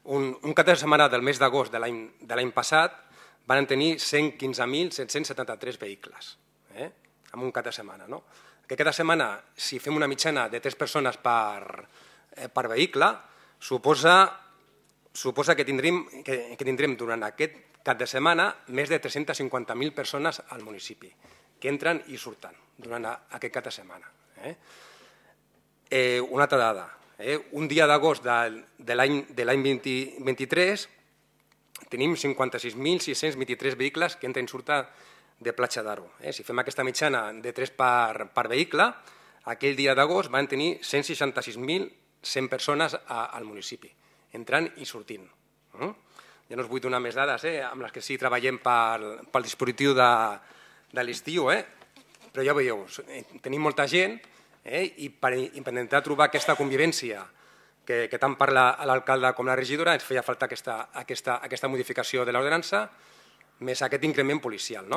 un cap de setmana del mes d'agost de l'any passat van tenir 115.773 vehicles, en un cap de setmana. Aquest cap de setmana, si fem una mitjana de 3 persones per vehicle, suposa que tindrem durant aquest cap de setmana més de 350.000 persones al municipi, que entren i surten durant aquest cap de setmana. Una altra dada, un dia d'agost de l'any 2023 tenim 56.623 vehicles que entren i surten de Platja d'Aro. Si fem aquesta mitjana de 3 per vehicle, aquell dia d'agost van tenir 166.100 persones al municipi, entrant i sortint. Ja no us vull donar més dades amb les que sí treballem pel dispositiu de l'estiu, però ja veieu, tenim molta gent i per intentar trobar aquesta convivència que tant parla l'alcalde com la regidora ens feia falta aquesta modificació de l'ordenança més aquest increment policial.